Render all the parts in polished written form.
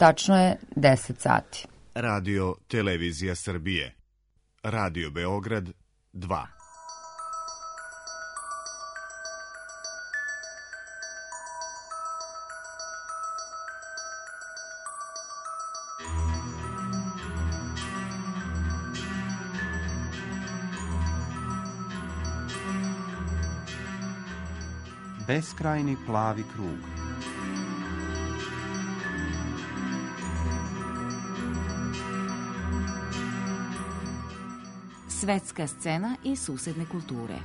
Tačno je 10 sati. Radio Televizija Srbije. Radio Beograd 2. Beskrajni plavi krug. Svetska scena i susedne kulture.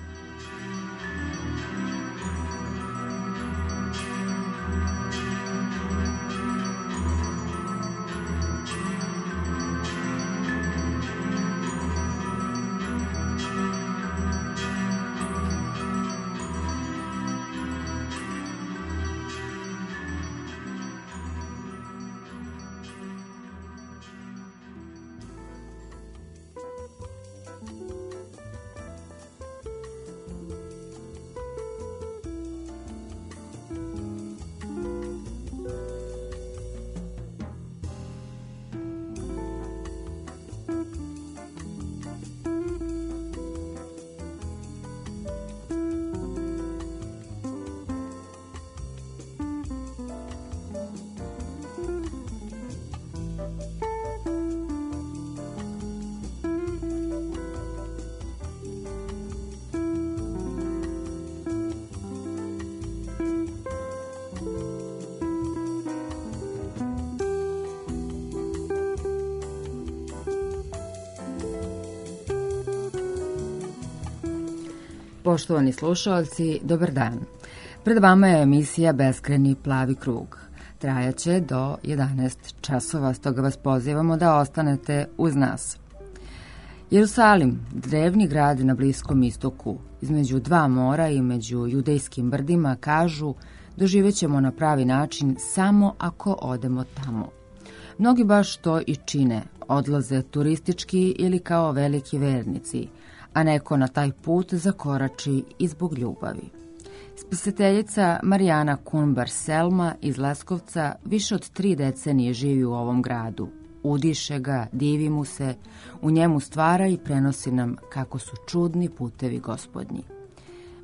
Poštovani slušalci, dobar dan. Pred vama je emisija Beskrajni plavi krug. Trajaće do 11 časova, stoga vas pozivamo da ostanete uz nas. Jerusalim, drevni grad na Bliskom istoku, između dva mora i među judejskim brdima, kažu, doživećemo na pravi način samo ako odemo tamo. Mnogi baš to i čine, odlaze turistički ili kao veliki vernici, a neko na taj put zakorači i zbog ljubavi. Spisateljica Marijana Kunbar-Selma iz Leskovca više od 3 decenije živi u ovom gradu. Udiše ga, divi mu se, u njemu stvara i prenosi nam kako su čudni putevi gospodnji.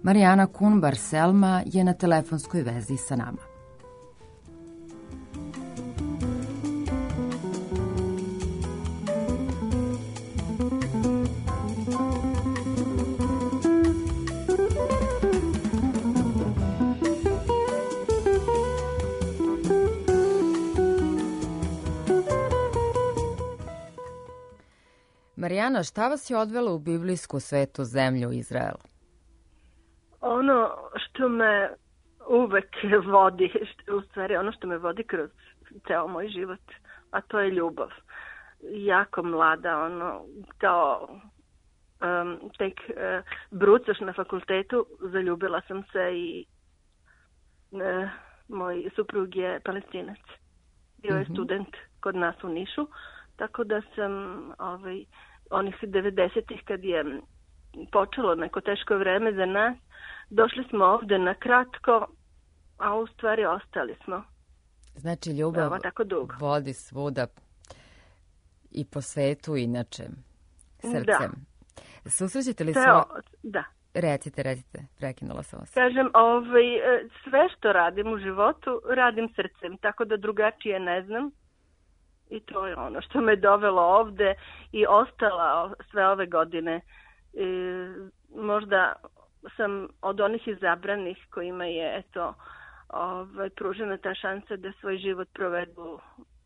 Marijana Kunbar-Selma je na telefonskoj vezi sa nama. Marijana, šta vas je odvelo u biblijsku svetu zemlju Izrael? Ono što me uvek vodi, u stvari ono što me vodi kroz ceo moj život, a to je ljubav. Jako mlada, kao tek brucoš na fakultetu, zaljubila sam se i moj suprug je Palestinac. Bio je student kod nas u Nišu, tako da sam onih 90-ih kad je počelo neko teško vreme za nas, došli smo ovde na kratko, a u stvari ostali smo. Znači ljubav vodi svuda i po svetu inače, srcem. Da. Susrećete li Da. Recite, prekinula sam vas. Kažem, sve što radim u životu, radim srcem, tako da drugačije ne znam. I to je ono što me dovelo ovde i ostala sve ove godine. Možda sam od onih izabranih kojima je pružena ta šansa da svoj život provedu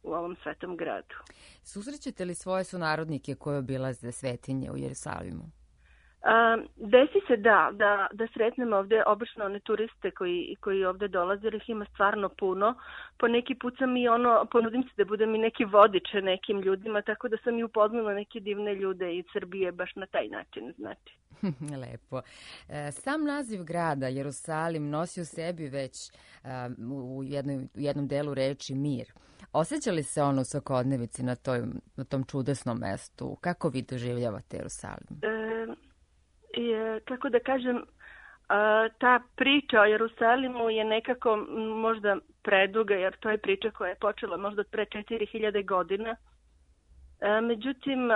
u ovom svetom gradu. Susrećete li svoje sunarodnike koji obilaze svetinje u Jerusalimu? Desi se da sretnem ovde obično one turiste koji ovde dolaze, jer ih ima stvarno puno. Po neki put sam i ponudim se da budem i neki vodiče nekim ljudima, tako da sam i upoznala neke divne ljude iz Srbije baš na taj način, znači. Lepo. Sam naziv grada, Jerusalim, nosi u sebi već u jednom delu reči mir. Osjeća li se ono u svakodnevici na tom čudesnom mestu? Kako vi doživljavate Jerusalim? Kako da kažem, ta priča o Jerusalimu je nekako možda preduga, jer to je priča koja je počela možda od pre 4000 godina. Međutim,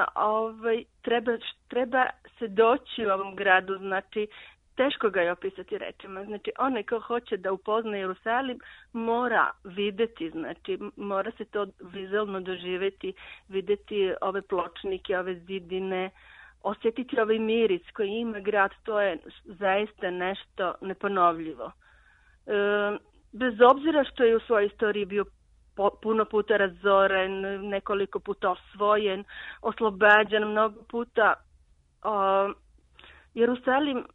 treba se doći u ovom gradu, znači teško ga je opisati rečima. Znači, onaj ko hoće da upozna Jerusalim mora videti, znači mora se to vizualno doživjeti, videti ove pločnike, ove zidine, osjetiti ovaj miris koji ima grad, to je zaista nešto neponovljivo. Bez obzira što je u svojoj istoriji bio puno puta razoren, nekoliko puta osvojen, oslobađan mnogo puta, Jerusalim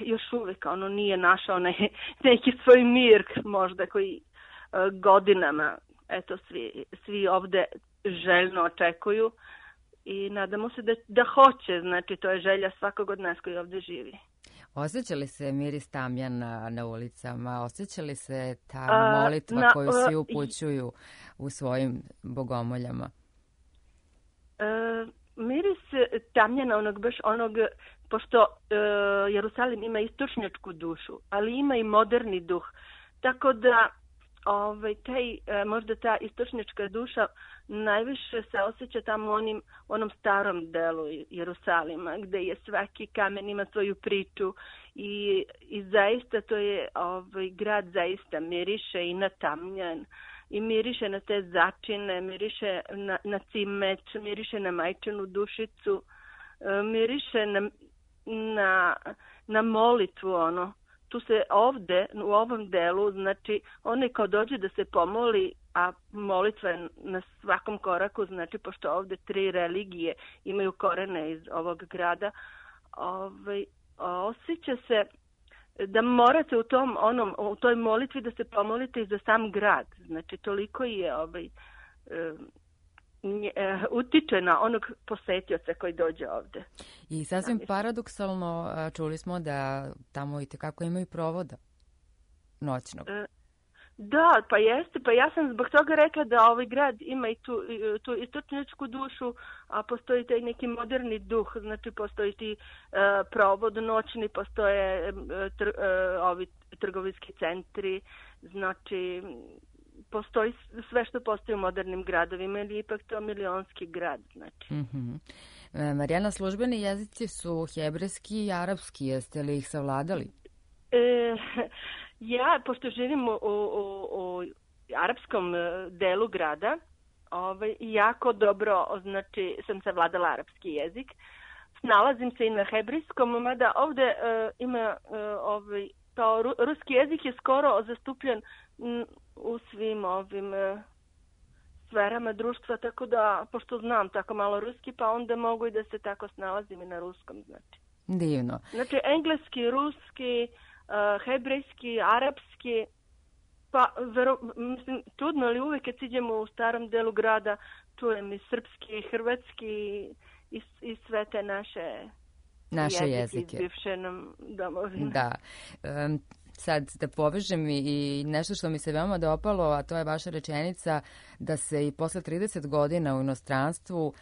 još uvijek nije našao neki svoj mir možda koji godinama svi ovde željno očekuju i nadamo se da hoće, znači to je želja svakog od nas koji ovde živi. Osjeća li se miris tamjana na ulicama? Osjeća li se ta molitva koju svi upućuju u svojim bogomoljama? Miris tamjana pošto Jerusalim ima istočnjačku dušu, ali ima i moderni duh. Tako da možda ta istočnjačka duša najviše se osjeća tamo u onom starom delu Jerusalima, gde je svaki kamen ima svoju priču i zaista to je grad zaista miriše i na tamjan i miriše na te začine, miriše na cimet, miriše na majčinu dušicu, miriše na molitvu, Tu se ovde, u ovom delu, znači, onaj ko dođe da se pomoli, a molitva je na svakom koraku, znači, pošto ovde 3 religije imaju korene iz ovog grada, osjeća se da morate u toj molitvi da se pomolite i za sam grad. Znači, toliko je utiče na onog posetioca koji dođe ovde. I sasvim paradoksalno čuli smo da tamo i tekako imaju provoda noćnog. Da, pa jeste. Pa ja sam zbog toga rekla da ovaj grad ima i tu istočnjačku dušu, a postoji taj neki moderni duh. Znači, postoji ti provod noćni, postoje ovi trgovinski centri, znači postoji sve što postoji u modernim gradovima, ili ipak to milionski grad, znači. Marijana, službeni jezici su hebrejski i arapski, jeste li ih savladali? Ja, pošto živim u arapskom delu grada, jako dobro, znači, sam savladala arapski jezik. Snalazim se i na hebrejskom, mada ovde ima kao ruski jezik je skoro zastupljen u svim ovim sferama društva, tako da, pošto znam tako malo ruski, pa onda mogu i da se tako snalazim i na ruskom, znači. Divno. Znači, engleski, ruski, hebrejski, arapski, pa, mislim, čudno, ali uvek kad siđemo u starom delu grada, čujem i srpski, hrvatski i sve te naše jezike. Iz bivše nam domovine. Da. Sad da povežem i nešto što mi se veoma dopalo, a to je vaša rečenica da se i posle 30 godina u inostranstvu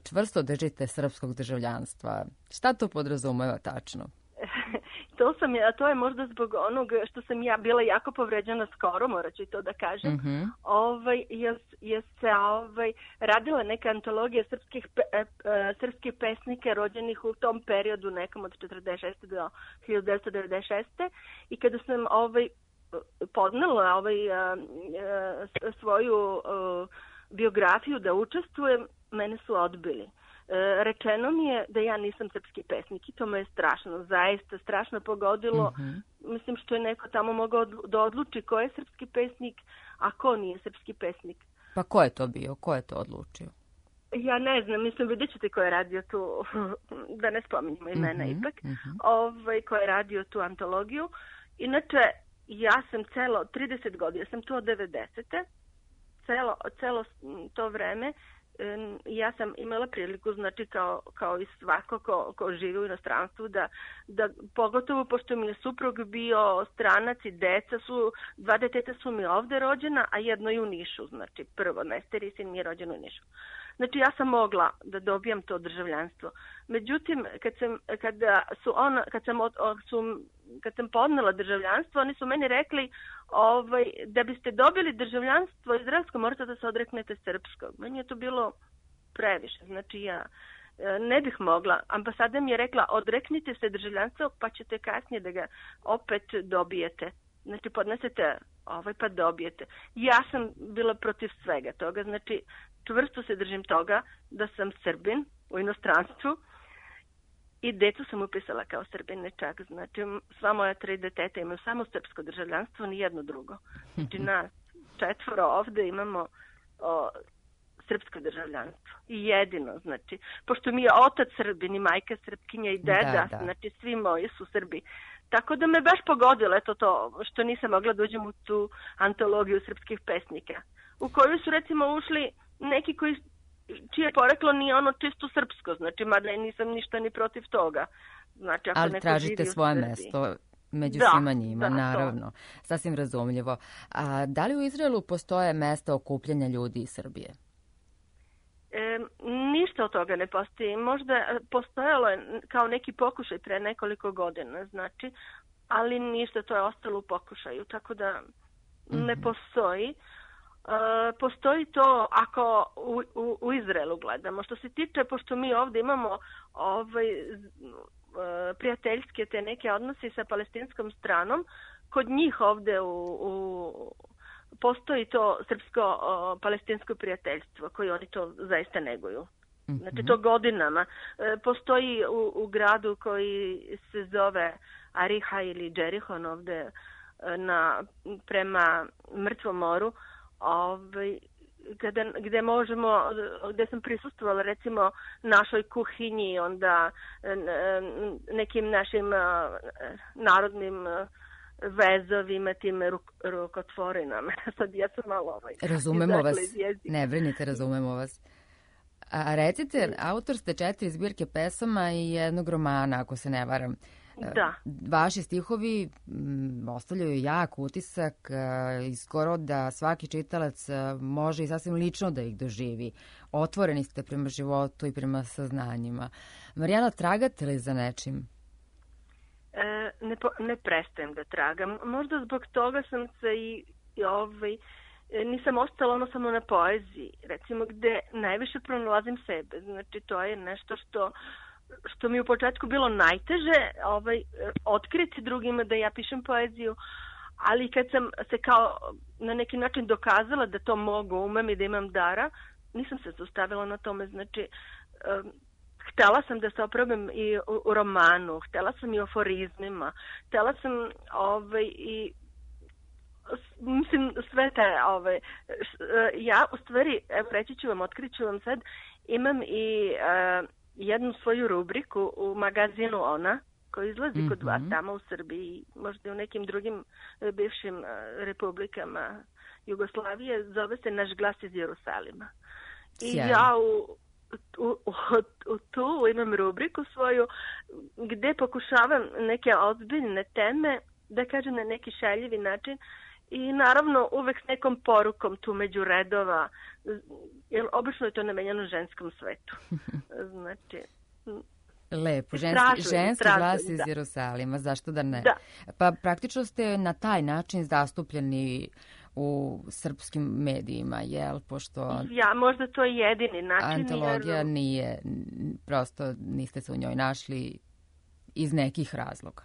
čvrsto držite srpskog državljanstva. Šta to podrazumeva tačno? To je možda zbog onog što sam ja bila jako povređena skoro, morat ću i to da kažem. Je se radila neka antologija srpskih pesnika rođenih u tom periodu, nekom od 46. do 1996. I kada sam podnela svoju biografiju da učestvujem, mene su odbili. Rečeno mi je da ja nisam srpski pesnik i to me je strašno, zaista strašno pogodilo. Mislim što je neko tamo mogao da odluči ko je srpski pesnik, a ko nije srpski pesnik. Pa ko je to bio? Ko je to odlučio? Ja ne znam, mislim, vidjet ćete ko je radio tu, da ne spominjemo imena ipak, ko je radio tu antologiju. Inače, ja sam 30 godina, sam tu od 90. Celo to vreme ja sam imala priliku, znači kao i svako ko živi u inostranstvu, da pogotovo pošto mi je suprug bio stranac i dva deteta su mi ovde rođena, a jedno i u Nišu, znači prvo najstariji sin mi je rođen u Nišu. Znači ja sam mogla da dobijam to državljanstvo. Međutim, kad sam podnela državljanstvo, oni su meni rekli da biste dobili državljanstvo izraelsko, morate da se odreknete srpskog. Meni je to bilo previše. Znači ja ne bih mogla. Ambasada mi je rekla, odreknite se državljanstva pa ćete kasnije da ga opet dobijete. Znači podnesete pa dobijete. Ja sam bila protiv svega toga. Znači čvrsto se držim toga da sam Srbin u inostranstvu i decu sam upisala kao Srbine čak. Znači sva moja 3 deteta imaju samo srpsko državljanstvo, ni jedno drugo. Znači nas 4 ovde imamo srpsko državljanstvo. I jedino, znači, pošto mi je otac Srbin i majka Srpkinja i deda, znači svi moji su Srbi. Tako da me baš pogodilo to što nisam mogla da uđem u tu antologiju srpskih pesnika, u koju su recimo ušli neki čije poreklo nije ono čisto srpsko, znači mada nisam ništa ni protiv toga. Znači, ako ali tražite svoje mesto među svima njima, naravno. Sasvim razumljivo. A da li u Izraelu postoje mesta okupljanja ljudi iz Srbije? Ništa od toga ne postoji. Možda postojalo je kao neki pokušaj pre nekoliko godina, znači, ali ništa, to je ostalo u pokušaju, tako da ne postoji. Postoji to ako u Izraelu gledamo. Što se tiče, pošto mi ovdje imamo prijateljske te neke odnose sa palestinskom stranom, kod njih ovdje postoji to srpsko-palestinsko prijateljstvo koje oni to zaista neguju. Znači to godinama. Postoji u gradu koji se zove Ariha ili Džerihon ovdje prema Mrtvom moru, gdje sam prisustvovala recimo našoj kuhinji, onda nekim našim narodnim vezovima, tim rukotvorinama. Sad ja sam malo razumemo vas, ne brinite, razumemo vas. A recite, autor ste 4 zbirke pesama i jednog romana, ako se ne varam. Da. Vaši stihovi ostavljaju jak utisak i skoro da svaki čitalac može i sasvim lično da ih doživi. Otvoreni ste prema životu i prema saznanjima. Marijana, tragate li za nečim? Ne prestajem da tragam. Možda zbog toga sam se nisam ostala samo na poeziji, recimo, gde najviše pronalazim sebe. Znači to je nešto što mi u početku bilo najteže otkriti drugima da ja pišem poeziju, ali kad sam se kao na neki način dokazala da to mogu, umem i da imam dara, nisam se zaustavila na tome. Znači htela sam da se oprobam i u romanu, htela sam i u aforizmima, htela sam i mislim sve te ja u stvari, evo reći ću vam, otkriću vam sad, imam i jednu svoju rubriku u magazinu Ona, koji izlazi kod vas tamo u Srbiji, možda i u nekim drugim bivšim republikama Jugoslavije, zove se Naš glas iz Jerusalima. I ja tu imam rubriku svoju gde pokušavam neke ozbiljne teme da kažem na neki šaljivi način i naravno uvek s nekom porukom tu među redova, jer obično je to namenjeno ženskom svetu. Znači, lepo, ženski glas iz Jerusalima, zašto da ne? Da. Pa praktično ste na taj način zastupljeni u srpskim medijima, jel? Pošto možda to je jedini način. Antologija nije, prosto niste se u njoj našli iz nekih razloga.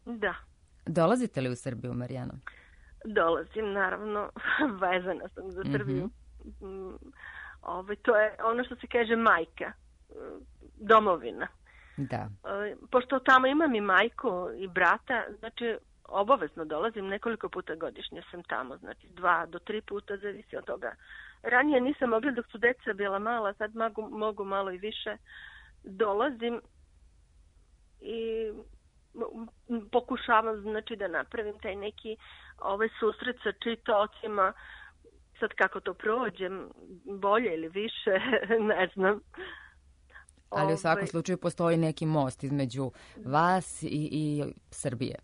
Da. Dolazite li u Srbiju, Marijano? Dolazim, naravno. Vezana sam za Srbiju. To je ono što se kaže majka, domovina. Da. Pošto tamo imam i majku i brata, znači obavezno dolazim, nekoliko puta godišnje sam tamo, znači 2 do 3 puta, zavisi od toga. Ranije nisam mogla dok su deca bila mala, sad mogu malo i više. Dolazim i pokušavam, znači, da napravim taj neki susret sa čitaocima. Sad kako to prođem, bolje ili više, ne znam. Ali u svakom slučaju postoji neki most između vas i Srbije.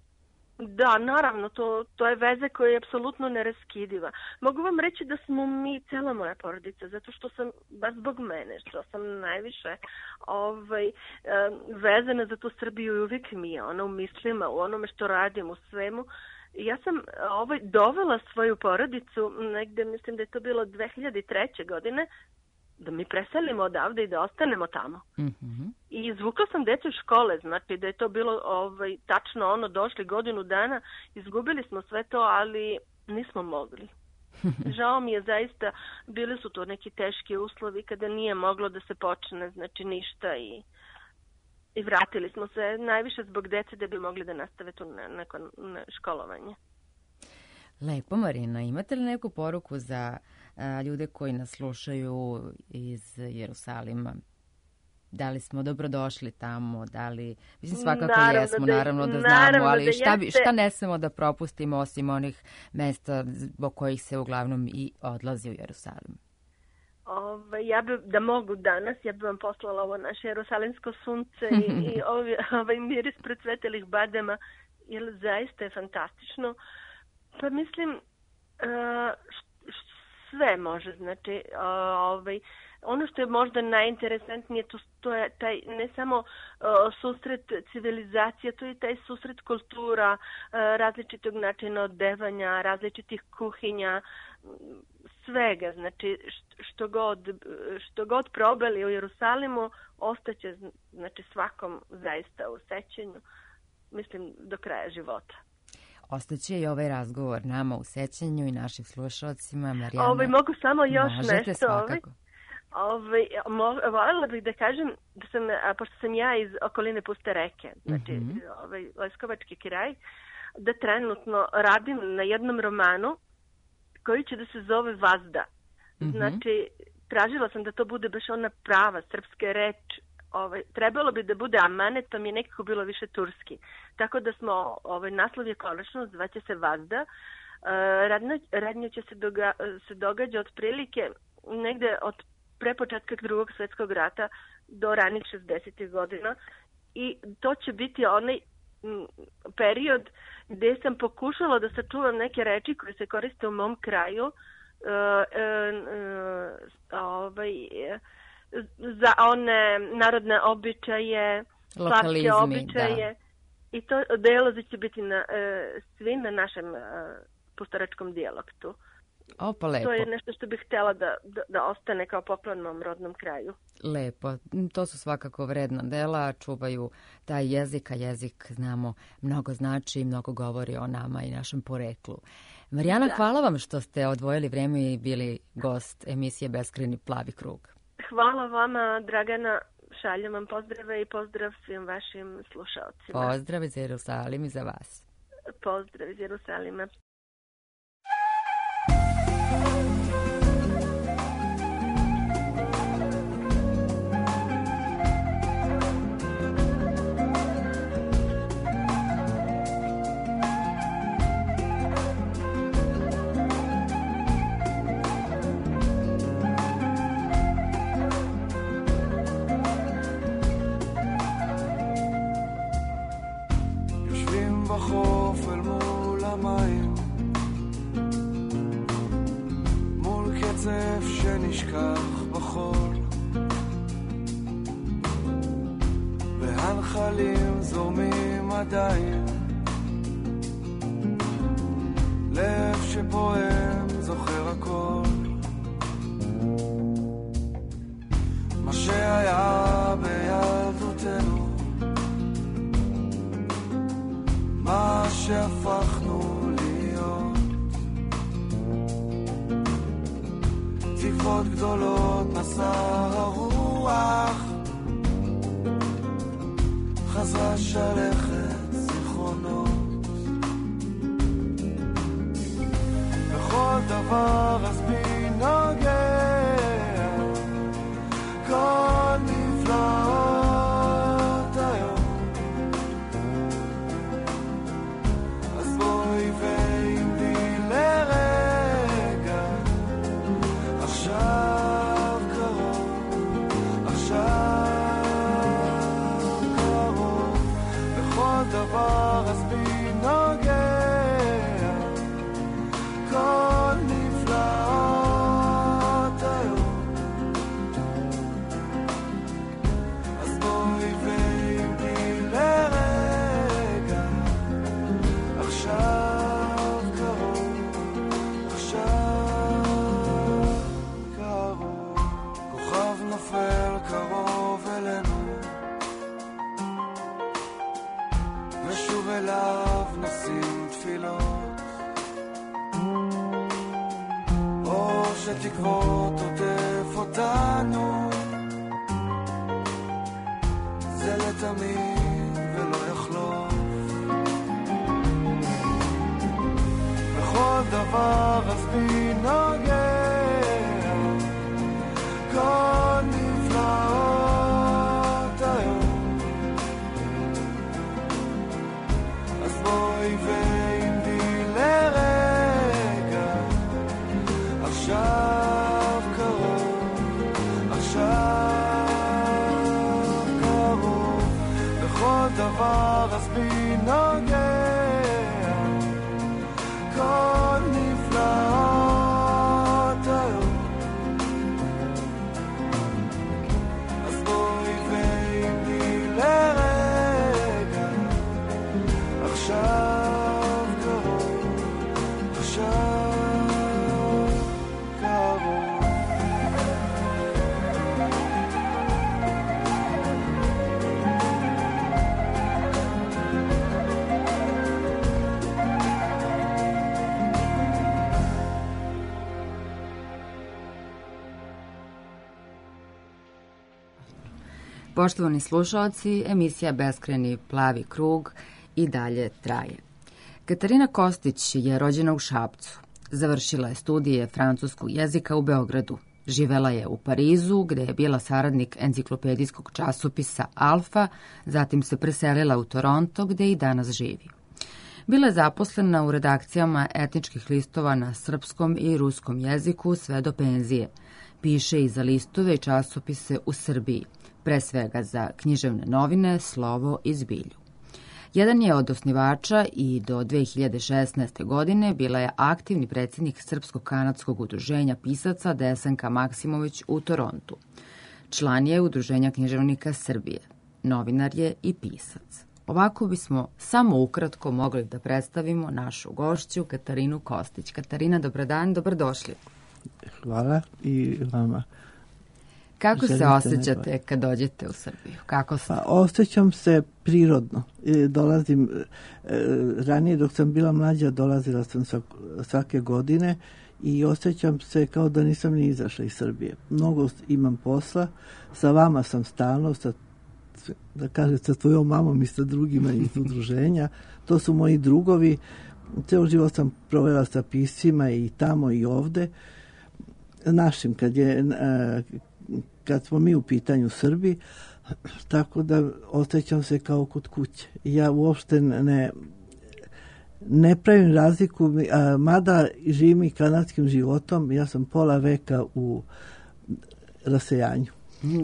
Da, naravno, to je veza koja je apsolutno neraskidiva. Mogu vam reći da smo mi, cela moja porodica, zato što sam, baš zbog mene, što sam najviše vezana za tu Srbiju i uvijek mi je ona u mislima, u onome što radim, u svemu. Ja sam dovela svoju porodicu, negde mislim da je to bilo 2003. godine, da mi preselimo odavde i da ostanemo tamo. Mm-hmm. I izvukla sam decu iz škole, znači da je to bilo tačno došli godinu dana, izgubili smo sve to, ali nismo mogli. Žao mi je zaista, bili su to neki teški uslovi kada nije moglo da se počne, znači ništa i vratili smo se najviše zbog dece da bi mogli da nastave tu neko školovanje. Lepo, Marina, imate li neku poruku za ljude koji nas slušaju iz Jerusalima? Da li smo dobrodošli tamo? Mislim, svakako jesmo, naravno da znamo, ali šta ne smemo da propustimo osim onih mesta zbog kojih se uglavnom i odlazi u Jerusalim? Ja bi, da mogu danas, ja bi vam poslala ovo naše jerusalimsko sunce i ovaj miris procvetelih badema, jer zaista je fantastično. Pa mislim, sve može, znači, ono što je možda najinteresantnije, to je taj, ne samo susret civilizacija, to je taj susret kultura, različitog načina odevanja, različitih kuhinja, svega, znači, što god probali u Jerusalimu, ostaće, znači, svakom zaista u sećanju, mislim, do kraja života. Ostaće i ovaj razgovor nama u sećanju i našim slušalcima. Marijana, mogu samo još možete nešto. Svakako. Voljela bih da kažem da sam, pošto sam ja iz okoline Puste reke, znači Leskovački kraj, da trenutno radim na jednom romanu koji će da se zove Vazda. Znači, tražila sam da to bude baš ona prava srpska reč. Trebalo bi da bude amanet, to mi je nekako bilo više turski. Tako da smo, naslov je konačno, zvaće se Vazda. Radnja će se događa otprilike negde od prepočetka Drugog svjetskog rata do ranih 60. godina i to će biti onaj period gdje sam pokušala da sačuvam neke reči koje se koriste u mom kraju za one narodne običaje, slavske običaje, da. I to dijalozi će biti svi na našem pustoračkom dijalektu. Opa, lepo. To je nešto što bih htjela da ostane kao poklon mom rodnom kraju. Lepo, to su svakako vredna dela, čuvaju taj jezik, a jezik, znamo, mnogo znači i mnogo govori o nama i našem poreklu. Marijana, da. Hvala vam što ste odvojili vreme i bili gost emisije Beskrajni plavi krug. Hvala vama, Dragana, šaljem vam pozdrave i pozdrav svim vašim slušalcima. Pozdrav iz Jerusalima i za vas. Pozdrav iz Jerusalima. בחוף אל מול המים מול קצף שנשכח בחול והנחלים זורמים עדיין לב שפועם זוכר הכל מה שהיה בילדותנו מה שהפכנו להיות תקוות גדולות נשא הרוח חזרה שלכת זיכרונות בכל דבר אז בי נוגע כל נפלאות היום ואם לי לרגע עכשיו קרוב בכל דבר אז בי נוגע שתקוות עוטף אותנו, זה לתמיד ולא יחלוף. בכל דבר עזבי נוגע, כל נפלאות היום. אז בואי ועמדי לרגע, עכשיו קרוב, עכשיו קרוב. בכל דבר עזבי נוגע, כל נפלאות היום. אז בואי ועמדי לרגע, עכשיו קרוב, עכשיו קרוב. Poštovani slušalci, emisija Beskrajni plavi krug i dalje traje. Katarina Kostić je rođena u Šapcu. Završila je studije francuskog jezika u Beogradu. Živela je u Parizu, gde je bila saradnik enciklopedijskog časopisa Alfa, zatim se preselila u Toronto, gde i danas živi. Bila je zaposlena u redakcijama etničkih listova na srpskom i ruskom jeziku sve do penzije. Piše i za listove i časopise u Srbiji, pre svega za književne novine, Slovo i Zbilju. Jedan je od osnivača i do 2016. godine bila je aktivni predsjednik Srpsko-kanadskog udruženja pisaca Desanka Maksimović u Torontu. Član je Udruženja književnika Srbije. Novinar je i pisac. Ovako bismo samo ukratko mogli da predstavimo našu gošću Katarinu Kostić. Katarina, dobar dan, dobrodošli. Hvala i vama. Kako se osjećate kad dođete u Srbiju? Kako se? Pa, osjećam se prirodno. Dolazim, ranije dok sam bila mlađa dolazila sam svake godine i osjećam se kao da nisam ni izašla iz Srbije. Mnogo imam posla, sa vama sam stalno, da kažem sa tvojom mamom i sa drugima iz udruženja. To su moji drugovi. Ceo život sam provela sa piscima i tamo i ovde. Našim, kad smo mi u pitanju Srbi, tako da osjećam se kao kod kuće. Ja uopšte ne pravim razliku, mada živim i kanadskim životom, ja sam pola veka u rasejanju.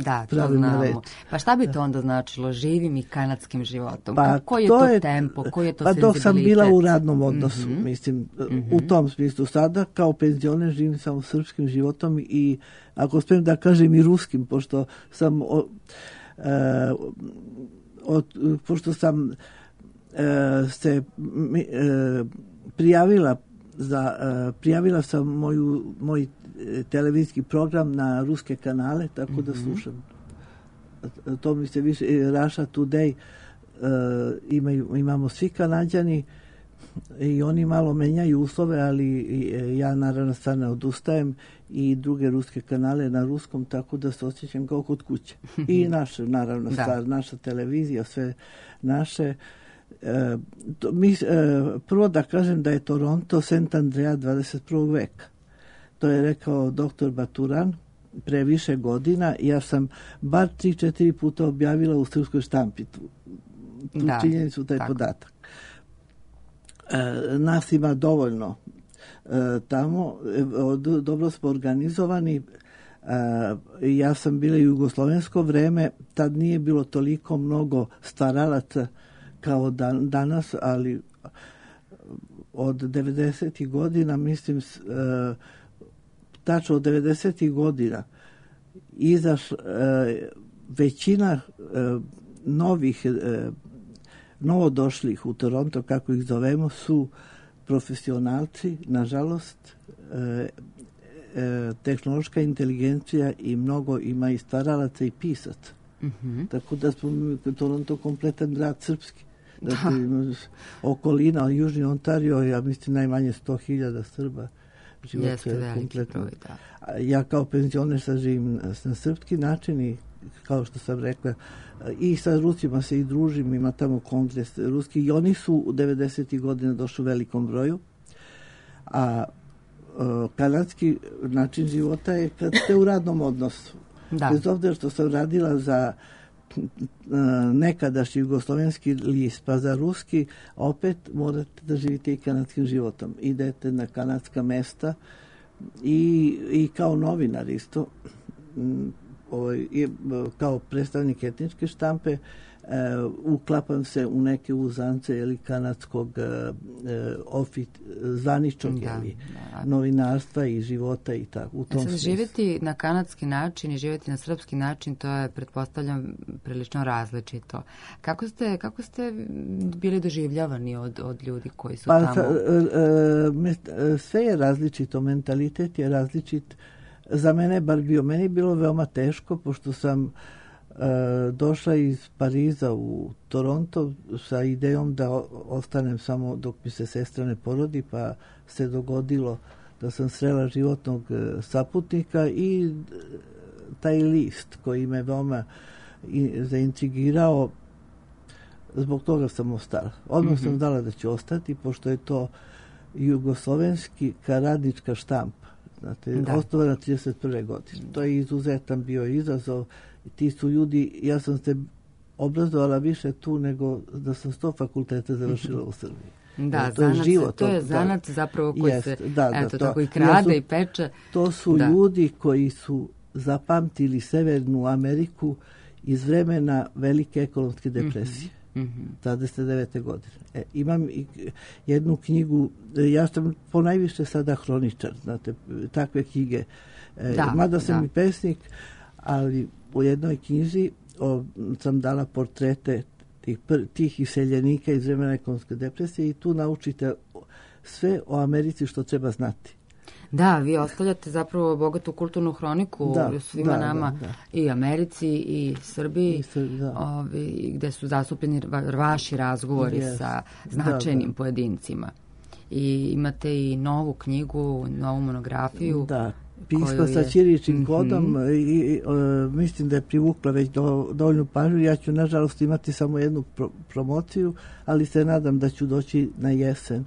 Da, to znamo. Pa šta bi to onda značilo, živim i kanadskim životom? Pa, koji je to tempo, koji je to senzibilitet? Dok sam bila u radnom odnosu, mislim, u tom smislu. Sada kao penzioner živim samo srpskim životom i, ako smijem da kažem, i ruskim, pošto sam se prijavila sam moj televizijski program na ruske kanale, tako da slušam. To mi se više, Russia Today imamo svi Kanađani i oni malo menjaju uslove, ali ja naravno sad ne odustajem, i druge ruske kanale na ruskom, tako da se osjećam kao kod kuće. I naše, naravno, naša televizija, sve naše. Prvo da kažem da je Toronto Saint Andrea 21. veka. To je rekao doktor Baturan pre više godina. Ja sam bar 3-4 puta objavila u srpskoj štampi tu činjenicu, taj podatak. Nas ima dovoljno tamo, dobro smo organizovani. Ja sam bila u jugoslovensko vreme, tad nije bilo toliko mnogo staralaca kao danas, ali od 90. godina, mislim, tačno od 90. godina većina novodošlih u Toronto, kako ih zovemo, su profesionalci, nažalost, tehnološka inteligencija, i mnogo ima i staralaca i pisaca. Tako da smo Toronto kompletan grad srpski. Okolina, Južni Ontario, ja mislim najmanje 100.000 Srba. život Jeste veliki kompletno. broj, da. Ja kao penzioner sad živim na srpski način i kao što sam rekla, i sa Rusima se i družim, ima tamo kongres ruski i oni su u 90. godina došli u velikom broju, a kanadski način života je kad ste u radnom odnosu. Da. Bez obzira što sam radila za nekadašnji jugoslovenski list, pa za ruski, opet morate da živite i kanadskim životom. Idete na kanadska mesta i kao novinar isto, kao predstavnik etničke štampe, uklapam se u neke uzance ili kanadskog zvaničnog novinarstva i života i tako. U tom smislu. Živjeti na kanadski način i živjeti na srpski način, to je, pretpostavljam, prilično različito. Kako ste bili doživljavani od ljudi koji su tamo? Sve je različito, mentalitet je različit. Za mene bar bio. Meni je bilo veoma teško, pošto sam došla iz Pariza u Toronto sa idejom da ostanem samo dok mi se sestra ne porodi, pa se dogodilo da sam srela životnog saputnika i taj list koji me veoma zaintrigirao, zbog toga sam ostala. Odmah sam znala da ću ostati, pošto je to jugoslovenski radnička štampa. Znate, osnovana 31. godine. To je izuzetan bio izazov. Ti su ljudi, ja sam se obrazovala više tu nego da sam 100 fakulteta završila u Srbiji. Da, to je život. To je zanat zapravo koji se tako i krade i peče. To su ljudi koji su zapamtili Severnu Ameriku iz vremena velike ekonomske depresije. 29. godine. Imam jednu knjigu, ja sam ponajviše sada hroničar, znate, takve knjige. Mada sam i pesnik, ali u jednoj knjizi sam dala portrete tih iseljenika iz vremena ekonomske depresije i tu naučite sve o Americi što treba znati. Da, vi ostavljate zapravo bogatu kulturnu hroniku svima nama, i Americi i Srbiji, gde su zastupljeni vaši razgovori sa značajnim pojedincima. I imate i novu knjigu, novu monografiju. Da, pismo sa ćiriličnim kodom i mislim da je privukla već dovoljnu pažnju. Ja ću nažalost imati samo jednu promociju, ali se nadam da ću doći na jesen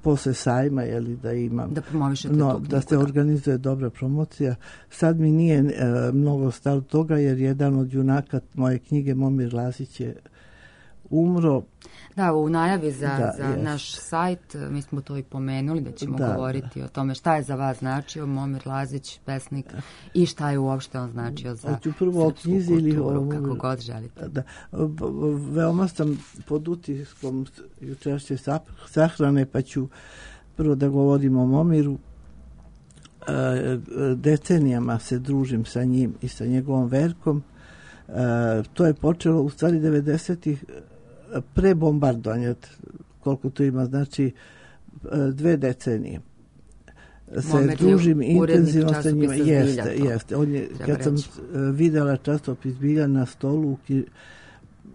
posle sajma, da imam da promovišete tu knjigu, da se organizuje dobra promocija. Sad mi nije mnogo stalo toga, jer jedan od junaka moje knjige, Momir Lazić, je umro. Da, u najavi za naš sajt mi smo to i pomenuli, da ćemo govoriti o tome šta je za vas značio Momir Lazić, pesnik, i šta je uopšte on značio za srpsku kulturu, kako god želite. Veoma sam pod utiskom jučerašnje sahrane, pa ću prvo da govorim o Momiru. Decenijama se družim sa njim i sa njegovom verkom. To je počelo u stvari 90-ih, pre bombardovanja, koliko to ima, znači 2 decenije. Se družim intenzivno sa njima. Jeste. Kad sam videla časopis Bilja na stolu u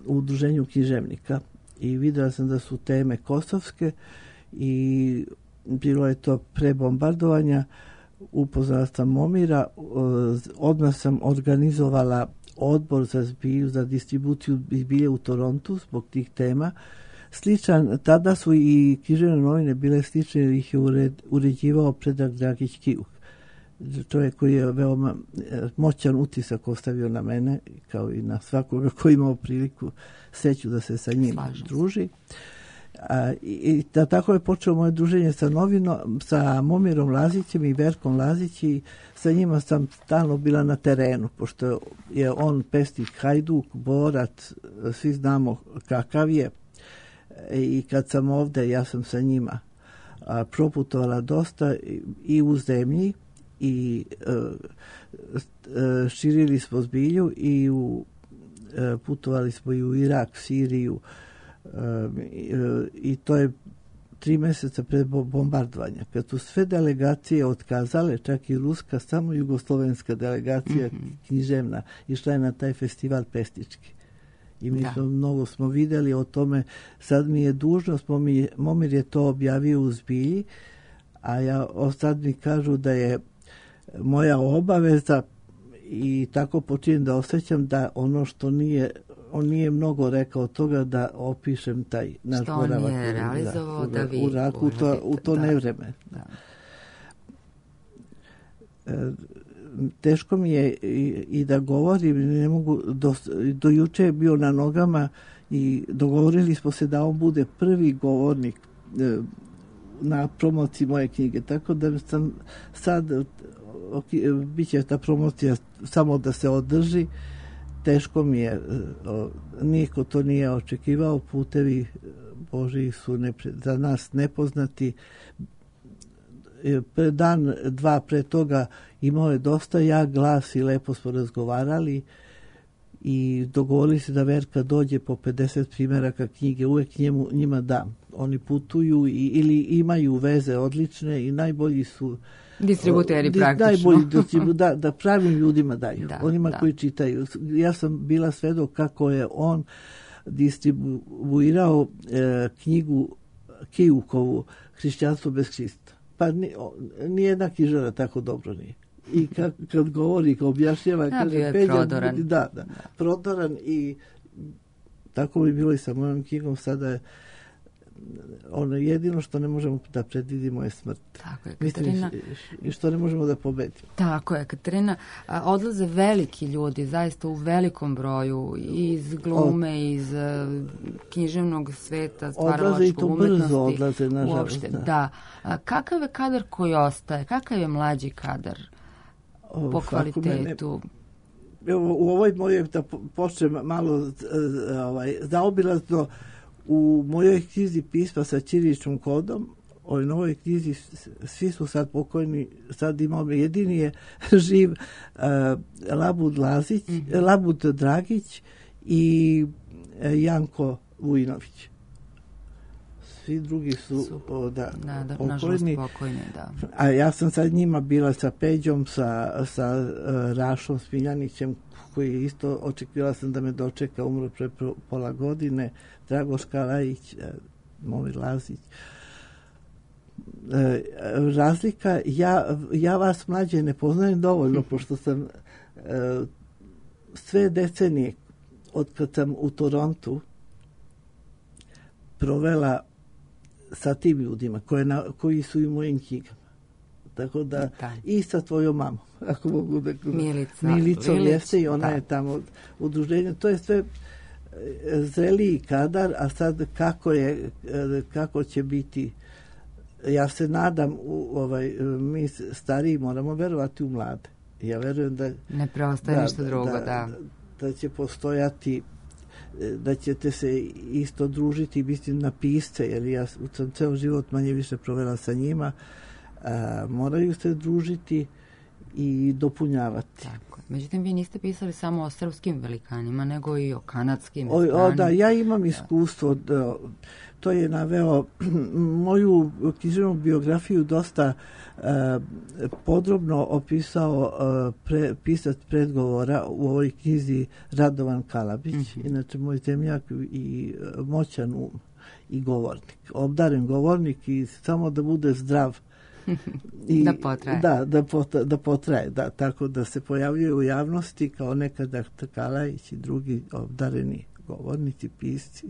udruženju književnika i videla sam da su teme kosovske i bilo je to pre bombardovanja, upoznala sam Momira, odmah sam organizovala odbor za zbilju, za distribuciju zbilje u Torontu zbog tih tema. Sličan, tada su i književne novine bile slične, jer ih je uređivao Predrag Dragić Kiuk. Čovjek koji je veoma moćan utisak ostavio na mene, kao i na svakoga koji imao priliku sreću da se sa njim druži. I tako je počelo moje druženje sa Momirom Lazićem i Verkom Lazić, i sa njima sam stalno bila na terenu, pošto je on pesnik hajduk, borac, svi znamo kakav je, i kad sam ovde, ja sam sa njima proputovala dosta i u zemlji, i širili smo zbilju, i putovali smo i u Irak, Siriju, i to je 3 meseca pred bombardovanja. Kad su sve delegacije otkazale, čak i ruska, samo jugoslovenska delegacija književna išla je na taj festival pesnički. I mi mnogo smo videli o tome. Sad mi je dužnost, Momir je to objavio u zbilji, a sad mi kažu da je moja obaveza i tako počinjem da osjećam da ono što on nije mnogo rekao toga da opišem taj naš boravak. Što on je realizovao da vi u Iraku u to nevreme. Da. Teško mi je i da govorim, ne mogu, do juče je bio na nogama i dogovorili smo se da on bude prvi govornik na promociji moje knjige, tako da sam sad bit će ta promocija samo da se održi. Teško mi je, niko to nije očekivao, putevi Božji su za nas nepoznati. Dan, dva pre toga imao je dosta jak glas i lepo smo razgovarali i dogovorili se da Verka dođe po 50 primjeraka knjige, uvek njima dam. Oni putuju ili imaju veze odlične i najbolji su distributeri praktično. Najbolji da pravim ljudima daju, onima koji čitaju. Ja sam bila svedok kako je on distribuirao knjigu Kijukovu Hrišćanstvo bez Hrista. Pa nijedna knjižara tako dobro nije. I kad govori, kad objašnjava, kaže Peđa, prodoran. Prodoran i tako bi bilo i sa mojom knjigom. Sada je ono jedino što ne možemo da predvidimo je smrt. Tako je, Katarina. I što ne možemo da pobedimo. Tako je, Katarina. Odlaze veliki ljudi, zaista u velikom broju, iz glume, iz književnog sveta, stvaralačkog umetnosti. Odlaze, nažalost. Uopšte, da. Kakav je kadar koji ostaje? Kakav je mlađi kadar po kvalitetu? U ovoj mojoj, da počnem malo zaobilazno, u mojoj knjizi pisma sa ćiriličnim kodom, u novoj knjizi svi su sad pokojni, sad imamo, jedini je živ Labud Dragić i Janko Vujinović. Svi drugi su pokojni. A ja sam sad njima bila sa Peđom, sa Rašom Smiljanićem, koji isto očekivala sam da me dočeka, umro pre pola godine, Dragoš Kalajić, Momir Lazić. Razlika, ja vas mlađe ne poznajem dovoljno, pošto sam sve decenije od kad sam u Torontu provela sa tim ljudima koji su i u mojim knjigama. Tako da, i sa tvojom mamom, ako mogu da... Milicom jeste i ona je tamo udruženje. To je sve zreliji kadar, a sad kako će biti, ja se nadam, mi stariji moramo verovati u mlade. Ja verujem da... Ne preostaje ništa drugo, da će postojati, da ćete se isto družiti, mislim, na pisce, jer ja sam ceo život manje više provela sa njima, moraju se družiti i dopunjavati. Tako. Međutim, vi niste pisali samo o srpskim velikanima, nego i o kanadskim i stranim. Da, ja imam iskustvo. To je naveo moju književnu biografiju dosta podrobno opisao pisac predgovora u ovoj knjizi Radovan Kalabić, inače moj zemljak i moćan um i govornik. Obdaren govornik i samo da bude zdrav. I, da potraje. Da potraje, tako da se pojavljuje u javnosti kao nekada Kalajić i drugi obdareni govornici, pisci.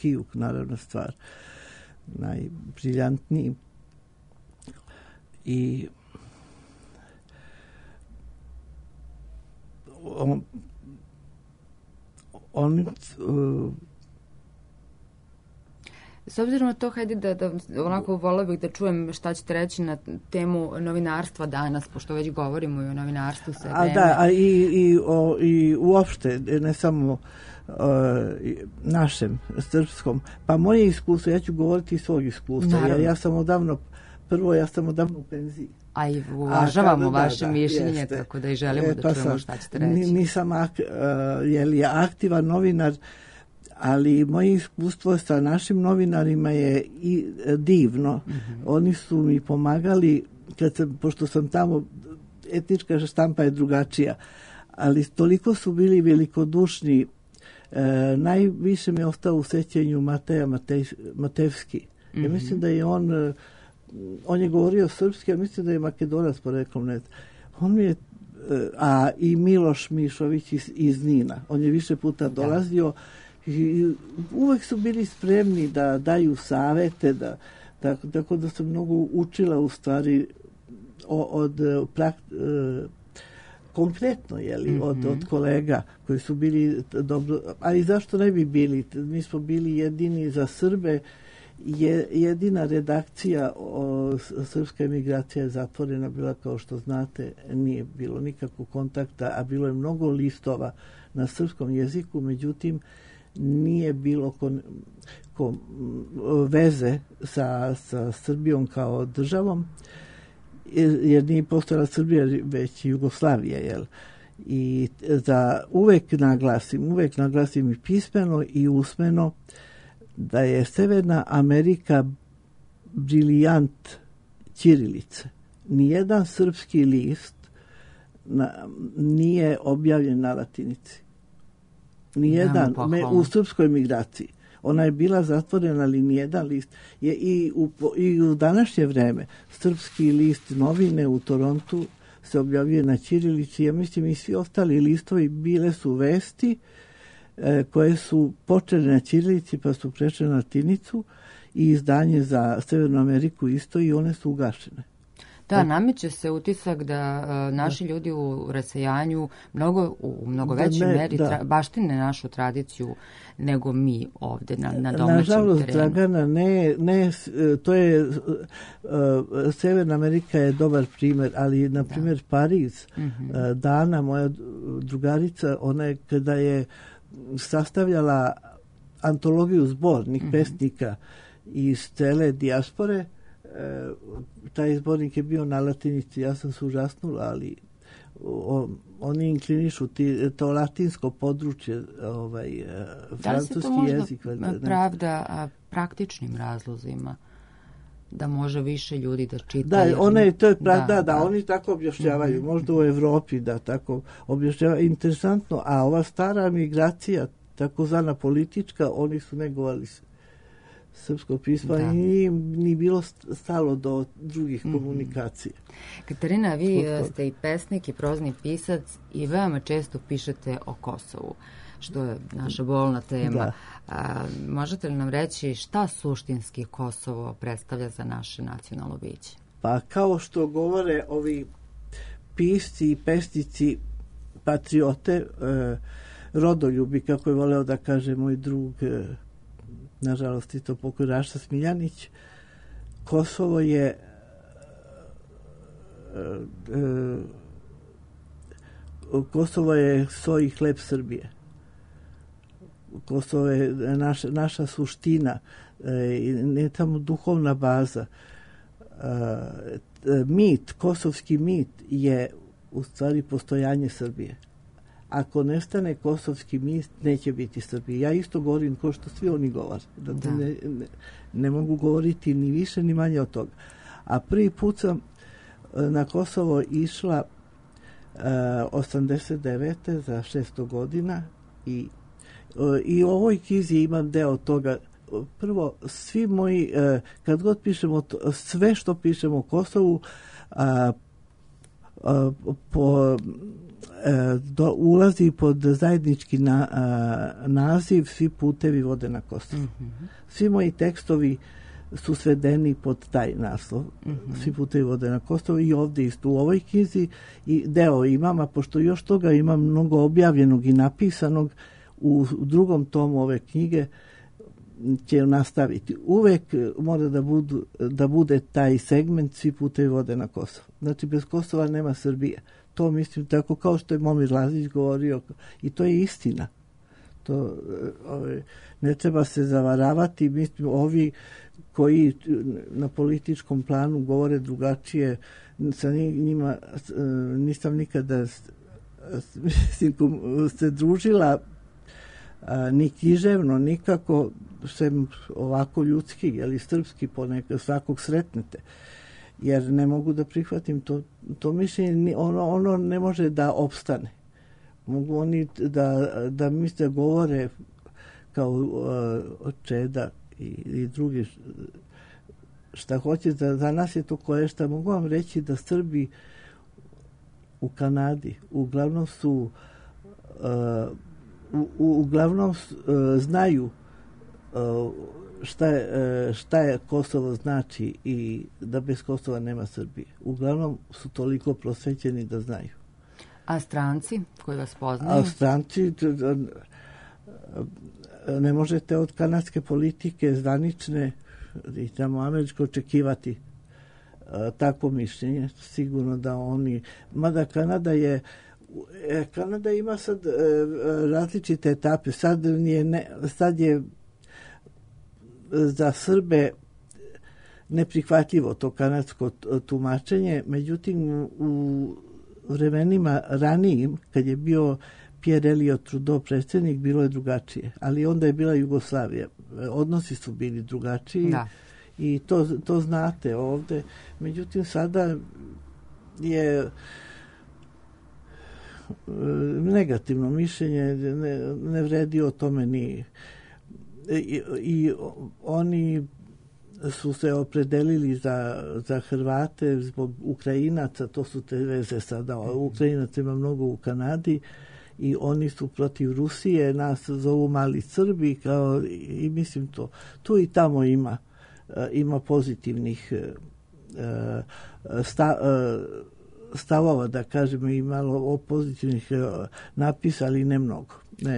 Kijuk, naravno, stvar najbriljantniji. I on s obzirom na to, hajde da onako volila bih da čujem šta ćete reći na temu novinarstva danas, pošto već govorimo i o novinarstvu sve vreme. I uopšte, ne samo našem, srpskom. Pa moje iskustvo, ja ću govoriti iz svog iskustva. Ja sam odavno u penziji. A i uvažavamo vaše mišljenje, tako da i želimo da čujemo šta ćete reći. Nisam aktivan novinar, ali moje iskustvo sa našim novinarima je i divno. Oni su mi pomagali, pošto sam tamo, etnička štampa je drugačija, ali toliko su bili velikodušni. Najviše mi je ostao u sećanju Mateja Matevski. Ja mislim da je on on je govorio srpski, a mislim da je Makedonac poreklom, ne znam. On mi je, a i Miloš Mišović iz Nina, on je više puta dolazio i uvek su bili spremni da daju savete, tako da sam mnogo učila u stvari konkretno, od kolega koji su bili dobro, a i zašto ne bi bili? Mi smo bili jedini za Srbe, jedina redakcija srpska emigracija je zatvorena bila, kao što znate, nije bilo nikakvog kontakta, a bilo je mnogo listova na srpskom jeziku, međutim nije bilo veze sa Srbijom kao državom, jer nije postojala Srbija, već Jugoslavija, jel? I uvek naglasim i pismeno i usmeno da je Severna Amerika brilijant ćirilice. Nijedan srpski list nije objavljen na latinici. Nijedan, u srpskoj migraciji. Ona je bila zatvorena, ali nijedan list. I u današnje vreme srpski list novine u Torontu se objavljuje na ćirilici. Ja mislim i svi ostali listovi bile su vesti koje su počele na ćirilici pa su prešle na latinicu i izdanje za Severnu Ameriku isto i one su ugašene. Da, nameće se utisak da naši ljudi u rasejanju u mnogo većoj meri baštine našu tradiciju nego mi ovde na domaćem terenu. Nažalost, Dragana, ne, to je, Severna Amerika je dobar primer, ali na primjer Pariz, Dana, moja drugarica, ona je kada je sastavljala antologiju zbornik pesnika iz cele dijaspore, taj zbornik je bio na latinici, ja sam se užasnula, ali oni inklinišu to latinsko područje, francuski jezik. Da li se to možda pravda praktičnim razlozima? Da može više ljudi da čitaju. Oni tako objašnjavaju. Možda u Evropi da tako objašnjavaju. Interesantno, a ova stara migracija, takozvana politička, oni su negovali srpsko pismo i ni bilo stalo do drugih komunikacija. Katarina, vi ste i pesnik i prozni pisac i veoma često pišete o Kosovu, što je naša bolna tema. Možete li nam reći šta suštinski Kosovo predstavlja za naše nacionalno biće? Pa kao što govore ovi pisci i pesnici patriote, rodoljubi, kako je voleo da kaže moj drug, nažalost i to pokoj Raša Smiljanić, Kosovo je so i hleb Srbije. Kosovo je naša suština, ne tamo duhovna baza. Kosovski mit je u stvari postojanje Srbije. Ako nestane kosovski mit, neće biti Srbije. Ja isto govorim kao što svi oni govore. Ne mogu govoriti ni više ni manje od toga. A prvi put sam na Kosovo išla 89. za 600 godina i u ovoj knjizi imam deo toga. Prvo, svi moji, kad god pišemo sve što pišemo o Kosovu, ulazi pod zajednički naziv Svi putevi vode na Kosovo. Svi moji tekstovi su svedeni pod taj naslov. Svi putevi vode na Kosovo i ovdje isto u ovoj knjizi i deo imam, a pošto još toga imam mnogo objavljenog i napisanog, u drugom tomu ove knjige će nastaviti. Uvek mora da bude taj segment Svi putevi vode na Kosovo. Znači, bez Kosova nema Srbije. To mislim tako kao što je Momir Lazić govorio i to je istina. To ne treba se zavaravati. Mislim, ovi koji na političkom planu govore drugačije, sa njima nisam nikada se družila ni književno, nikako, sem ovako ljudski, ili srpski ponekad, svakog sretnete. Jer ne mogu da prihvatim to mišljenje, ono ne može da opstane. Mogu oni da misle govore kao Čeda i drugi šta hoće, za nas je to koješta. Mogu vam reći da Srbi u Kanadi uglavnom su uglavnom znaju šta je Kosovo znači i da bez Kosova nema Srbije. Uglavnom su toliko prosvećeni da znaju. A stranci koji vas poznaju? A stranci ne možete od kanadske politike zvanične i tamo američko očekivati takvo mišljenje. Sigurno da oni... Mada Kanada ima sad različite etape. Sad je za Srbe neprihvatljivo to kanadsko tumačenje. Međutim, u vremenima ranijim, kad je bio Pierre Elliott Trudeau predsjednik, bilo je drugačije. Ali onda je bila Jugoslavija. Odnosi su bili drugačiji. Da. I to znate ovde. Međutim, sada je negativno mišljenje, ne vredi o tome ni... I oni su se opredelili za Hrvate zbog Ukrajinaca, to su te veze sada. Ukrajinaca ima mnogo u Kanadi i oni su protiv Rusije, nas zovu mali Srbi, i mislim to. Tu i tamo ima pozitivnih stavova, da kažemo, i malo pozitivnih napisa, ali ne mnogo.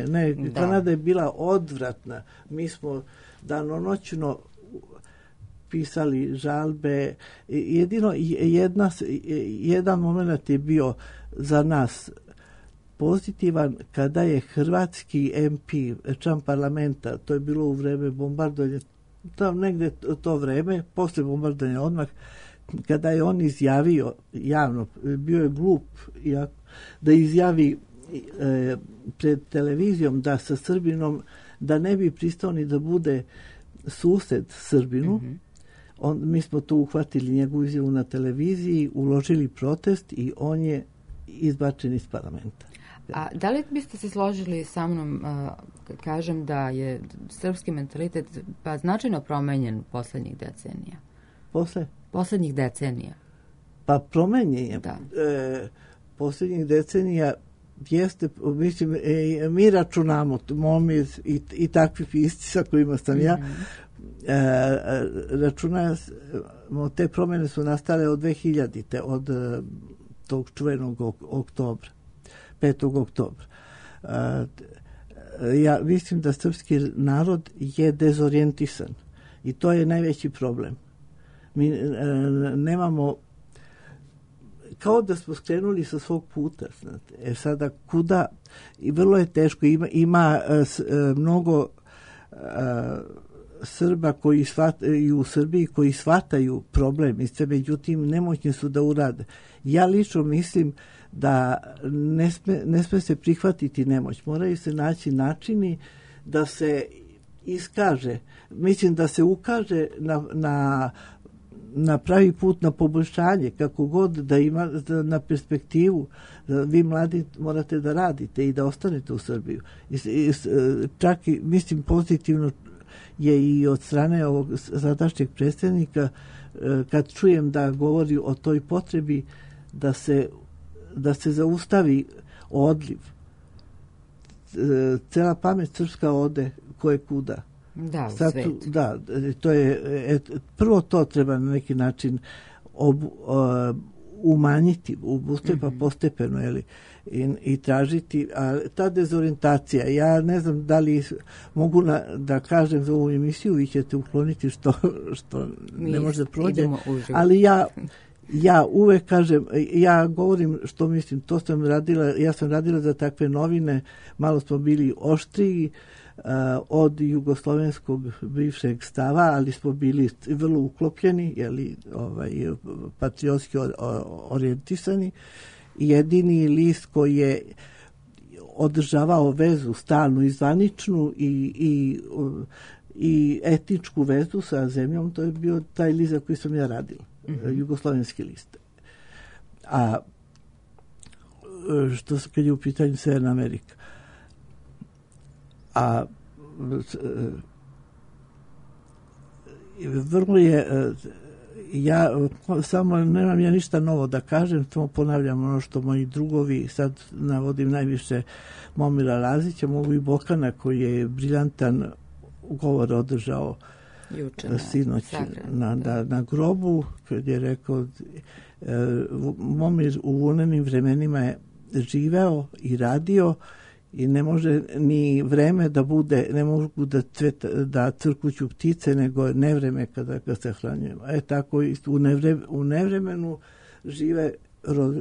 Ne, Kanada je bila odvratna. Mi smo danonoćno pisali žalbe. Jedino jedan moment je bio za nas pozitivan kada je hrvatski MP, član parlamenta, to je bilo u vreme bombardovanja, tam negde to vreme, posle bombardovanja odmah, kada je on izjavio javno, bio je glup da izjavi pred televizijom da sa Srbinom, da ne bi pristao ni da bude sused Srbinu. Mi smo to uhvatili njegovu izjavu na televiziji, uložili protest i on je izbačen iz parlamenta. A da li biste se složili sa mnom kad kažem da je srpski mentalitet značajno promenjen poslednjih decenija? Poslednjih decenija. Pa promenjen je. Da. Poslednjih decenija jeste, mislim, mi računamo, Momir i takvi pisci sa kojima sam ja, računamo, te promjene su nastale od 2000-te, od tog čuvenog oktobra, 5. oktobra. Ja mislim da srpski narod je dezorijentisan i to je najveći problem. Mi nemamo, kao da smo skrenuli sa svog puta. Znate. Sada kuda, i vrlo je teško, ima mnogo Srba koji shvataju u Srbiji, koji shvataju problem i sve, međutim nemoćni su da urade. Ja lično mislim da ne sme se prihvatiti nemoć. Moraju se naći načini da se iskaže, mislim da se ukaže na pravi put, na poboljšanje, kako god da ima, na perspektivu. Vi mladi morate da radite i da ostanete u Srbiju. Čak i, mislim, pozitivno je i od strane ovog sadašnjeg predsjednika, kad čujem da govori o toj potrebi da se zaustavi odliv. Cela pamet srpska ode koje kuda. Da, u svet. Da, to je, prvo to treba na neki način umanjiti, pa postepeno, i tražiti, a ta dezorijentacija, ja ne znam da li mogu da kažem za ovu emisiju, vi ćete ukloniti što ne može da prođe, ali ja uvek kažem, ja govorim što mislim, to sam radila, ja sam radila za takve novine, malo smo bili oštriji od jugoslovenskog bivšeg stava, ali smo bili vrlo uklopljeni, patriotski orijentisani. Jedini list koji je održavao vezu stalnu i zvaničnu i etničku vezu sa zemljom, to je bio taj list za koji sam ja radila, jugoslovenski list. A što kad je u pitanju Severna Amerika, vrlo je ja samo nemam ja ništa novo da kažem, samo ponavljam ono što moji drugovi, sad navodim najviše Momira Lazića, mogu i Bokana koji je briljantan govor održao sinoć na grobu, kad je rekao Momir u vunenim vremenima je živeo i radio i ne može ni vreme da bude, ne mogu da crkuću ptice, nego nevreme kada ga se hranjujemo. Tako u nevremenu žive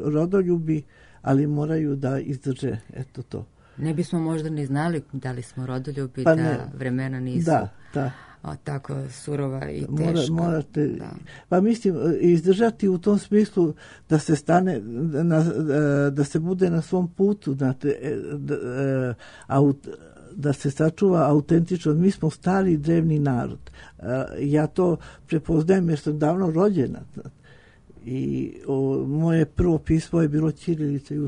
rodoljubi, ali moraju da izdrže, eto to. Ne bismo možda ni znali da li smo rodoljubi, pa da vremena nisu tako surova i teška. Morate, pa mislim, izdržati u tom smislu da se stane, da se bude na svom putu, da se sačuva autentično. Mi smo stari drevni narod. Ja to prepoznajem jer sam davno rođena. I moje prvo pismo je bilo ćirilica i u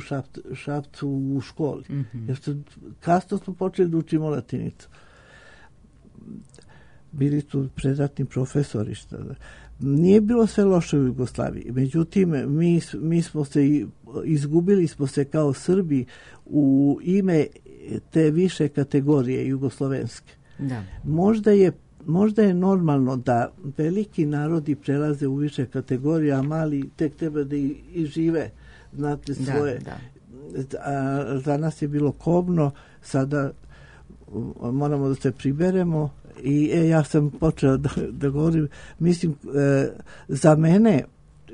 Šapcu u školi. Jer kasno smo počeli da učimo latinicu. Bili su predratni profesori. Nije bilo sve loše u Jugoslaviji. Međutim, mi smo se izgubili smo se kao Srbi u ime te više kategorije jugoslovenske. Da. Možda je normalno da veliki narodi prelaze u više kategorije, a mali tek treba da i žive, znate, svoje. Za nas je bilo kobno, sada moramo da se priberemo i ja sam počela da govorim, mislim, za mene,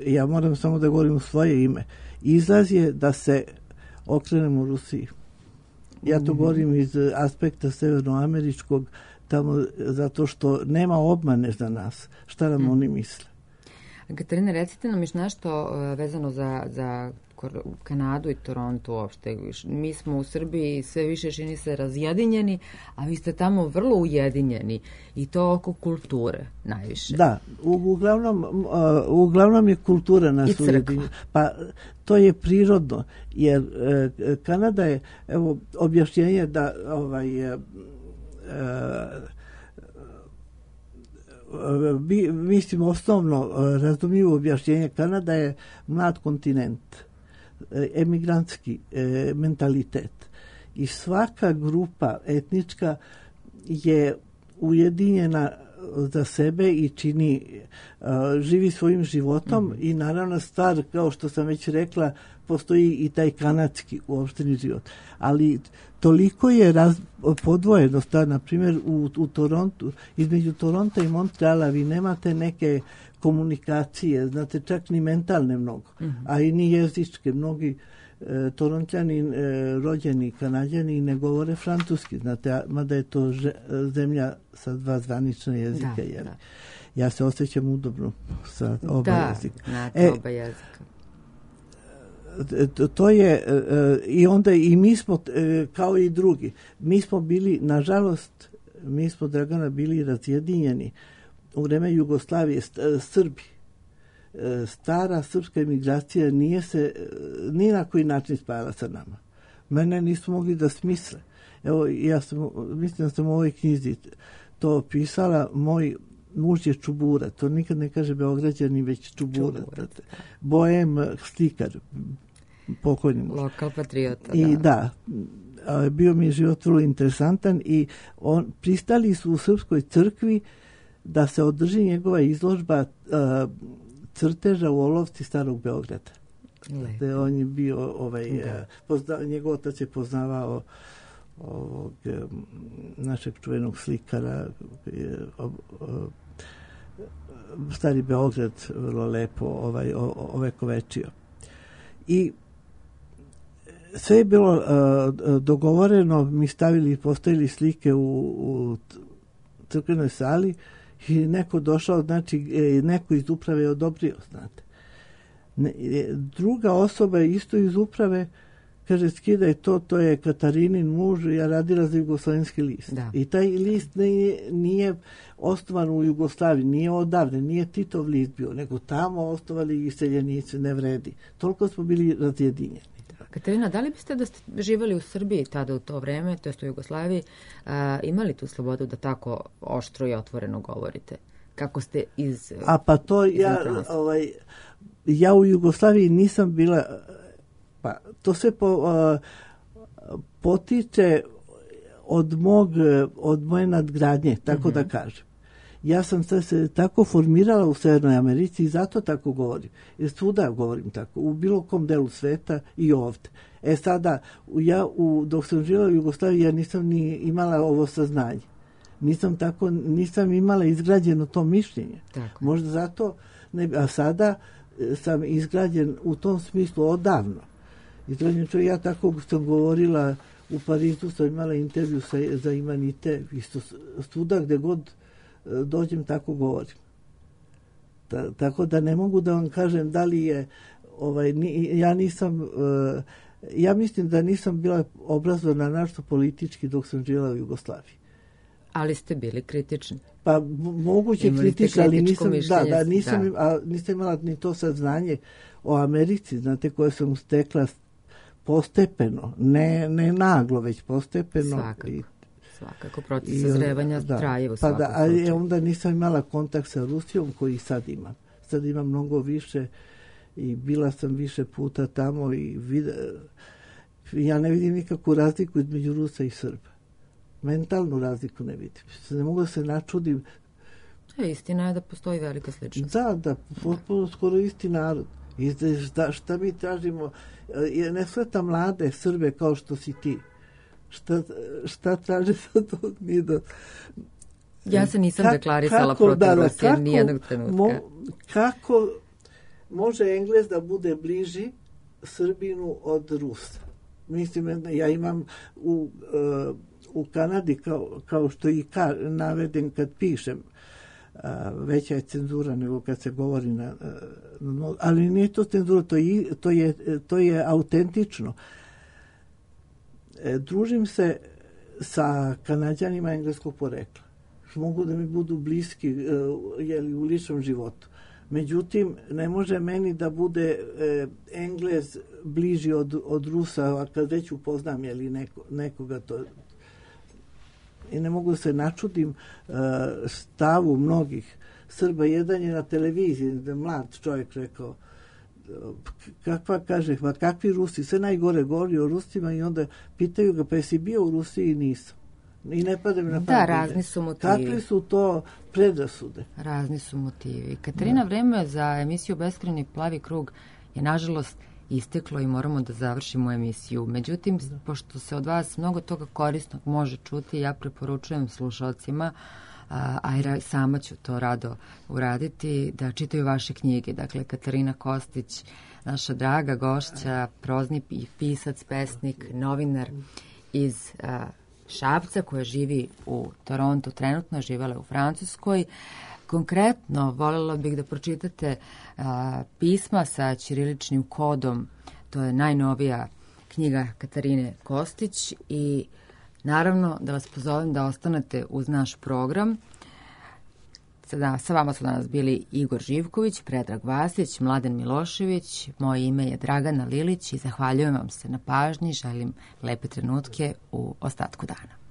ja moram samo da govorim u svoje ime, izlaz je da se okrenemo u Rusiji. Ja to govorim iz aspekta severnoameričkog, tamo zato što nema obmane za nas. Šta nam oni misle? Katarina, recite nam još nešto vezano za Kanadu i Toronto uopšte. Mi smo u Srbiji sve više čini se razjedinjeni, a vi ste tamo vrlo ujedinjeni i to oko kulture najviše. Da, uglavnom je kultura nas ujedinjena. Pa to je prirodno, jer Kanada je, evo, objašnjenje da mislim osnovno razumljivo objašnjenje, Kanada je mlad kontinent, emigrantski mentalitet i svaka grupa etnička je ujedinjena za sebe i živi svojim životom i naravno stvar, kao što sam već rekla, postoji i taj kanadski uopšteni život. Ali toliko je podvojenost, na primjer u Torontu, između Toronta i Montreala vi nemate neke komunikacije, znate, čak ni mentalne mnogo, a i ni jezičke. Mnogi Torontljani, rođeni Kanadjani ne govore francuski, znate, mada je to zemlja sa 2 zvanična jezika. Da. Ja se osjećam udobno sa oba jezika. Znate, oba jezika. To je, i onda i mi smo, kao i drugi, mi smo bili, nažalost, mi smo, Dragana, bili razjedinjeni u vreme Jugoslavije, Srbi. Stara srpska emigracija nije se ni na koji način spajala sa nama. Mene nismo mogli da smisle. Evo, mislim da sam u ovoj knjizi to pisala, moj muž je Čubura, to nikad ne kaže Beograđani, već Čubura. Bojem, slikar, pokojni muž. Lokal patriota, I bio mi je život vrlo interesantan i pristali su u Srpskoj crkvi da se održi njegova izložba crteža u olovci Starog Beograda. On je bio, njegov otac je poznavao ovog našeg čuvenog slikara, Stari Beograd vrlo lepo ovekovečio. I sve je bilo dogovoreno, mi postavili slike u crkvenoj sali i neko došao, znači neko iz uprave je odobrio, znate. Druga osoba isto iz uprave kaže, skidaj to je Katarinin muž, ja radila za Jugoslovenski list. Da. I taj list nije osnovan u Jugoslaviji, nije odavde, nije Titov list bio, nego tamo osnovali iseljenici, ne vredi. Toliko smo bili razjedinjeni. Katarina, da li biste da ste živjeli u Srbiji tada u to vreme, to jest u Jugoslaviji, imali tu slobodu da tako oštro i otvoreno govorite? kako ste iz... A pa to ja u Jugoslaviji nisam bila, pa to sve potiče od moje nadgradnje, tako da kažem. Ja sam se tako formirala u Severnoj Americi i zato tako govorim. Jer svuda govorim tako, u bilo kom delu sveta i ovde. Sada, dok sam živjela u Jugoslaviji, ja nisam ni imala ovo saznanje. Nisam imala izgrađeno to mišljenje. Tako. Možda zato, a sada sam izgrađen u tom smislu odavno. Izgrađen čovjek, ja tako sam govorila u Parizu, sam imala intervju za Imanite, isto svuda gde god dođem tako govorim. Tako da ne mogu da vam kažem da li je ja mislim da nisam bila obrazovana našto politički dok sam živjela u Jugoslaviji. Ali ste bili kritični. Pa moguće kritični, ali nisam imala ni to saznanje o Americi, znate, koje sam stekla postepeno, ne naglo, već postepeno. Svakako, proces sazrevanja traje u svakom slučaju. Ali onda nisam imala kontakt sa Rusijom koji sad imam. Sad imam mnogo više i bila sam više puta tamo i ja ne vidim nikakvu razliku između Rusa i Srba. Mentalnu razliku ne vidim. Ne mogu da se načudim. Istina je da postoji velika sličnost. Da, potpuno skoro isti narod. I šta mi tražimo? Ne sveta mlade Srbe kao što si ti. Šta traže sa tog nido? Ja se nisam deklarisala protiv Rusije nijednog trenutka. Kako može Englez da bude bliži Srbinu od Rusa? Mislim, ja imam u Kanadi, kao što i navedem kad pišem, veća je cenzura nego kad se govori ali nije to cenzura, to je autentično. Družim se sa Kanađanima engleskog porekla. Mogu da mi budu bliski u ličnom životu. Međutim, ne može meni da bude Englez bliži od Rusa, a kad već upoznam nekoga to. I ne mogu da se načudim stavu mnogih Srba. Jedan je na televiziji, mlad čovjek rekao, kakvi Rusi, sve najgore govori o Rusima i onda pitaju ga, pa jesi bio u Rusiji? I nisam. I ne pada mi na pamet. Da, razni su motivi. Kakvi su to predrasude? Razni su motivi. Katarina, vreme za emisiju Beskrajni plavi krug je nažalost isteklo i moramo da završimo emisiju. Međutim, pošto se od vas mnogo toga korisnog može čuti, ja preporučujem slušalcima, a sama ću to rado uraditi, da čitaju vaše knjige. Dakle, Katarina Kostić, naša draga gošća, prozni pisac, pesnik, novinar iz Šapca, koja živi u Torontu, trenutno živela u Francuskoj. Konkretno, voljela bih da pročitate pisma sa ćiriličnim kodom. To je najnovija knjiga Katarine Kostić i naravno da vas pozovem da ostanete uz naš program. Sa vama su danas bili Igor Živković, Predrag Vasić, Mladen Milošević. Moje ime je Dragana Lilić i zahvaljujem vam se na pažnji. Želim lepe trenutke u ostatku dana.